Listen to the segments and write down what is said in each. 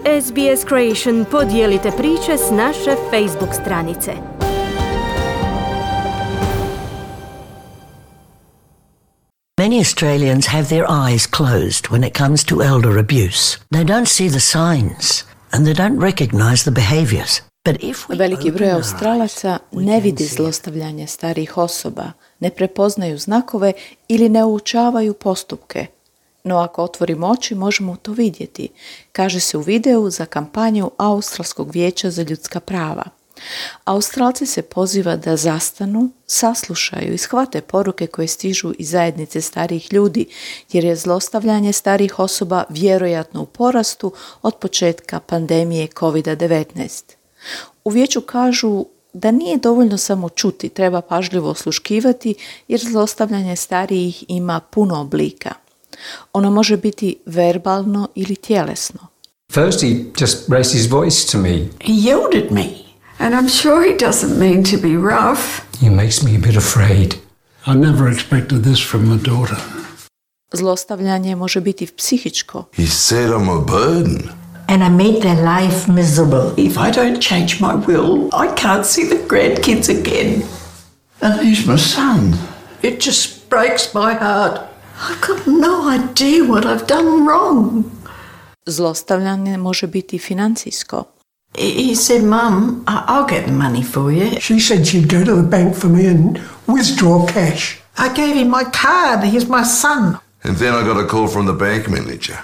SBS Creation podijelite priče s naše Facebook stranice. Many Australians have their eyes closed when it comes to elder abuse. They don't see the signs and they don't recognize the behaviors. Veliki broj Australaca ne vidi zlostavljanje starijih osoba, ne prepoznaju znakove ili ne uočavaju postupke. No ako otvorimo oči možemo to vidjeti, kaže se u videu za kampanju Australskog vijeća za ljudska prava. Australci se poziva da zastanu, saslušaju i shvate poruke koje stižu iz zajednice starijih ljudi, jer je zlostavljanje starijih osoba vjerojatno u porastu od početka pandemije COVID-19. U vijeću kažu da nije dovoljno samo čuti, treba pažljivo osluškivati jer zlostavljanje starijih ima puno oblika. Ono može biti verbalno ili tjelesno. First he just raised his voice to me. He yelled at me, and I'm sure he doesn't mean to be rough. He makes me a bit afraid. I never expected this from my daughter. Zlostavljanje može biti psihičko. He said I'm a burden. And I made their life miserable. If I don't change my will, I can't see the grandkids again. And he's my son. It just breaks my heart. I've got no idea what I've done wrong. Zlostavljanje može biti financijsko. He said, Mum, I'll get the money for you. She said she'd go to the bank for me and withdraw cash. I gave him my card. He's my son. And then I got a call from the bank manager.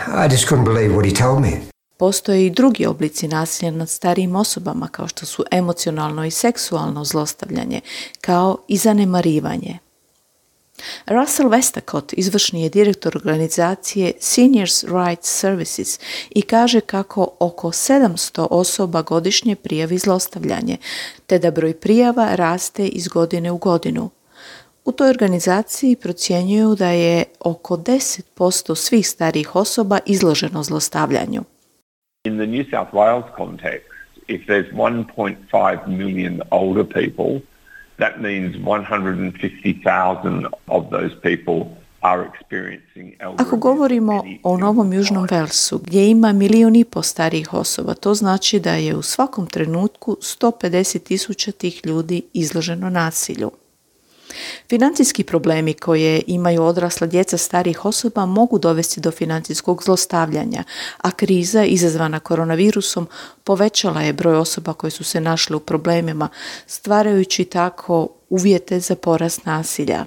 I just couldn't believe what he told me. Postoje i drugi oblici nasilja nad starijim osobama, kao što su emocionalno i seksualno zlostavljanje, kao i zanemarivanje. Russell Westacott izvršni je direktor organizacije Seniors Rights Services i kaže kako oko 700 osoba godišnje prijavi zlostavljanje, te da broj prijava raste iz godine u godinu. U toj organizaciji procjenjuju da je oko 10% svih starijih osoba izloženo zlostavljanju. In the New South Wales context, if there's 1.5 million older people, that means 150,000 of those people are experiencing elder abuse. Ako govorimo o Novom Južnom Walesu, gdje ima 1,5 milijuna starijih osoba, to znači da je u svakom trenutku 150,000 tih ljudi izloženo nasilju. Financijski problemi koje imaju odrasla djeca starijih osoba mogu dovesti do financijskog zlostavljanja, a kriza izazvana koronavirusom povećala je broj osoba koje su se našle u problemima, stvarajući tako uvjete za porast nasilja.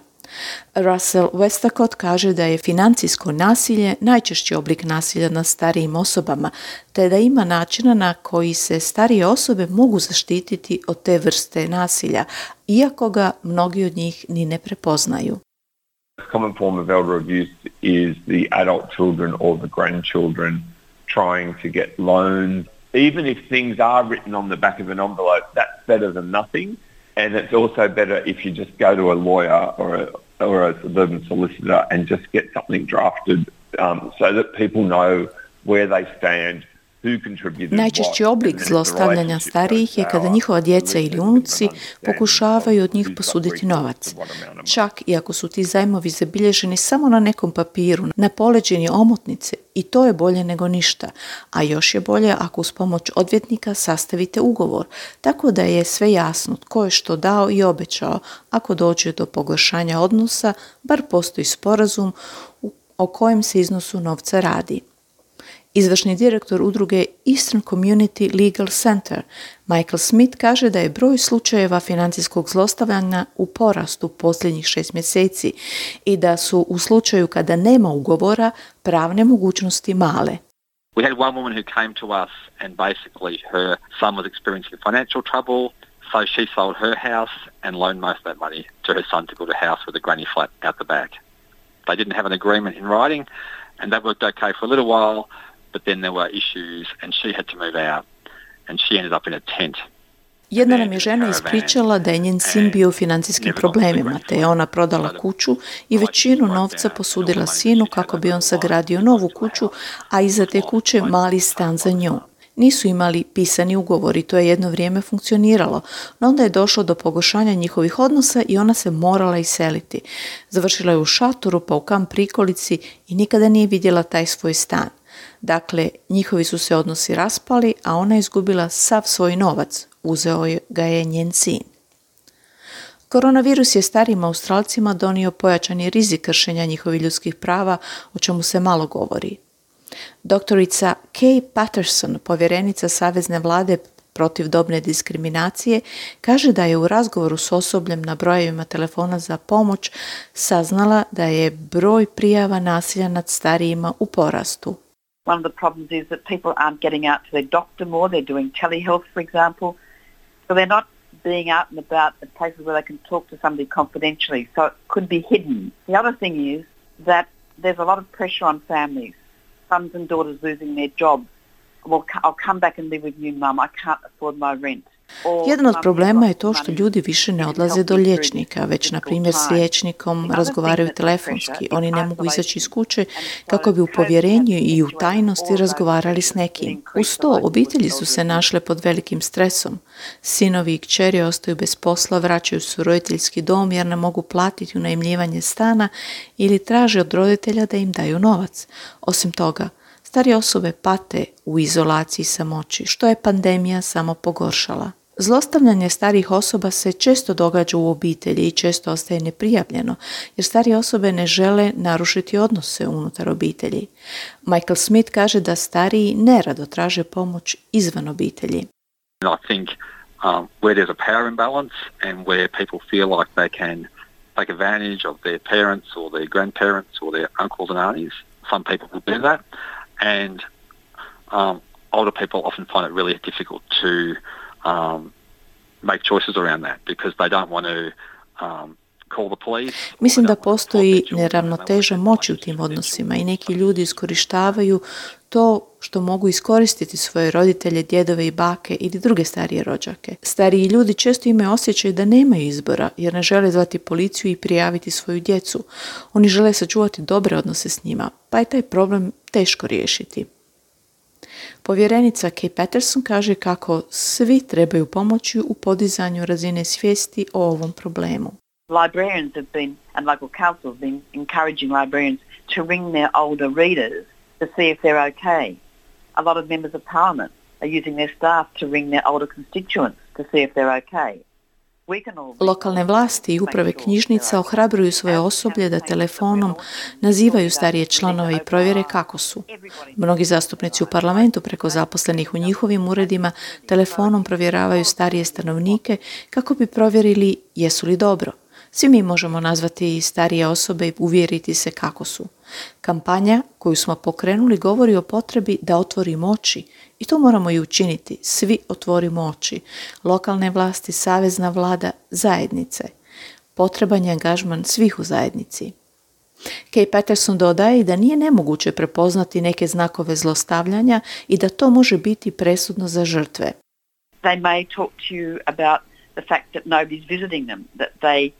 Russell Westacott kaže da je financijsko nasilje najčešći oblik nasilja nad starijim osobama, te da ima načina na koji se starije osobe mogu zaštititi od te vrste nasilja, iako ga mnogi od njih ni ne prepoznaju. A common form of elder abuse is the adult children or the grandchildren trying to get loans. Even if things are written on the back of an envelope, that's better than nothing. And it's also better if you just go to a lawyer or a suburban solicitor and just get something drafted so that people know where they stand, who contributed what. Najčešći oblik zlostavljanja starijih je kada njihova djeca ili unuci pokušavaju od njih posuditi novac. Čak i ako su ti zajmovi zabilježeni samo na nekom papiru, na poleđini omotnice, i to je bolje nego ništa, a još je bolje ako uz pomoć odvjetnika sastavite ugovor, tako da je sve jasno tko je što dao i obećao. Ako dođe do pogoršanja odnosa, bar postoji sporazum o kojem se iznosu novca radi. Izvršni direktor udruge Eastern Community Legal Center, Michael Smith, kaže da je broj slučajeva financijskog zlostavljanja u porastu posljednjih 6 mjeseci i da su u slučaju kada nema ugovora pravne mogućnosti male. We had one woman who came to us and basically her son was experiencing financial trouble, so she sold her house and loaned most of that money to her son to build a house with a granny flat out the back. They didn't have an agreement in writing and that worked okay for a little while. But then there were issues and she had to move out and she ended up in a tent. Jedna nam je žena ispričala da je njen sin bio u financijskim problemima, te je ona prodala kuću i većinu novca posudila sinu kako bi on sagradio novu kuću, a iza te kuće mali stan za nju. Nisu imali pisani ugovor i to je jedno vrijeme funkcioniralo, no onda je došlo do pogoršanja njihovih odnosa i ona se morala iseliti. Završila je u šatoru pa u kamp prikolici i nikada nije vidjela taj svoj stan. Dakle, njihovi su se odnosi raspali, a ona je izgubila sav svoj novac, uzeo ga je njen sin. Koronavirus je starijim Australcima donio pojačani rizik kršenja njihovih ljudskih prava, o čemu se malo govori. Doktorica Kay Patterson, povjerenica Savezne vlade protiv dobne diskriminacije, kaže da je u razgovoru s osobljem na brojevima telefona za pomoć saznala da je broj prijava nasilja nad starijima u porastu. One of the problems is that people aren't getting out to their doctor more. They're doing telehealth, for example. So they're not being out and about at places where they can talk to somebody confidentially. So it could be hidden. The other thing is that there's a lot of pressure on families. Sons and daughters losing their jobs. Well, I'll come back and live with you, Mum. I can't afford my rent. Jedan od problema je to što ljudi više ne odlaze do liječnika, već na primjer s liječnikom razgovaraju telefonski. Oni ne mogu izaći iz kuće kako bi u povjerenju i u tajnosti razgovarali s nekim. Uz to, obitelji su se našle pod velikim stresom. Sinovi i kćeri ostaju bez posla, vraćaju se u roditeljski dom jer ne mogu platiti unajmljivanje stana ili traže od roditelja da im daju novac. Osim toga, starije osobe pate u izolaciji i samoći, što je pandemija samo pogoršala. Zlostavljanje starijih osoba se često događa u obitelji i često ostaje neprijavljeno, jer starije osobe ne žele narušiti odnose unutar obitelji. Michael Smith kaže da stariji nerado traže pomoć izvan obitelji. I think where there's a power imbalance and where people feel like they can take advantage of their parents or their grandparents or their uncles and aunties, some people will do that. And older people often find it really difficult to make choices around that because they don't want to call the police. Mislim da postoji neravnoteža moći u tim odnosima i neki ljudi iskorištavaju to što mogu iskoristiti svoje roditelje, djedove i bake ili druge starije rođake. Stariji ljudi često imaju osjećaj da nemaju izbora jer ne žele zvati policiju i prijaviti svoju djecu. Oni žele sačuvati dobre odnose s njima, pa je taj problem teško riješiti. Povjerenica Kay Patterson kaže kako svi trebaju pomoći u podizanju razine svijesti o ovom problemu. Librarians have been, and local councils have been encouraging librarians to ring their older readers to see if they're okay. A lot of members of parliament are using their staff to ring their older constituents to see if they're okay. Lokalne vlasti i uprave knjižnica ohrabruju svoje osoblje da telefonom nazivaju starije članove i provjere kako su. Mnogi zastupnici u parlamentu preko zaposlenih u njihovim uredima telefonom provjeravaju starije stanovnike kako bi provjerili jesu li dobro. Svi mi možemo nazvati starije osobe i uvjeriti se kako su. Kampanja koju smo pokrenuli govori o potrebi da otvorimo oči i to moramo i učiniti. Svi otvorimo oči. Lokalne vlasti, savezna vlada, zajednice. Potreban je angažman svih u zajednici. Kay Patterson dodaje da nije nemoguće prepoznati neke znakove zlostavljanja i da to može biti presudno za žrtve. They may talk to you about the fact that nobody's visiting them, that they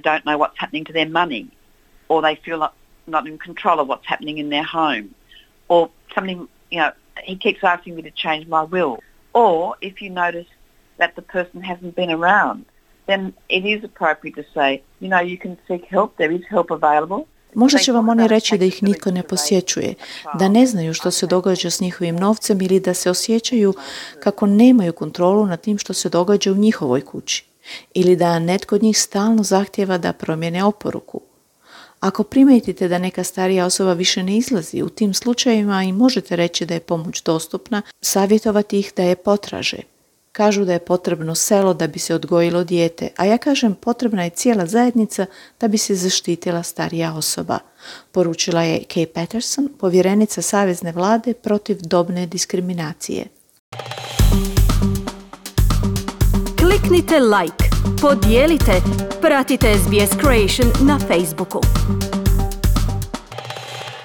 don't know what's happening to their money, or they feel not in control of what's happening in their home, or something, he keeps asking me to change my will. Or if you notice that the person hasn't been around, then it is appropriate to say, you can seek help, there is help available. Možda će vam oni reći da ih nitko ne posjećuje, da ne znaju što se događa s njihovim novcem ili da se osjećaju kako nemaju kontrolu nad tim što se događa u njihovoj kući. Ili da netko od njih stalno zahtijeva da promijene oporuku. Ako primijetite da neka starija osoba više ne izlazi, u tim slučajevima i možete reći da je pomoć dostupna, savjetovati ih da je potraže. Kažu da je potrebno selo da bi se odgojilo dijete, a ja kažem potrebna je cijela zajednica da bi se zaštitila starija osoba, poručila je Kay Patterson, povjerenica Savezne vlade protiv dobne diskriminacije. Kliknite like, podijelite, pratite SBS Creation na Facebooku.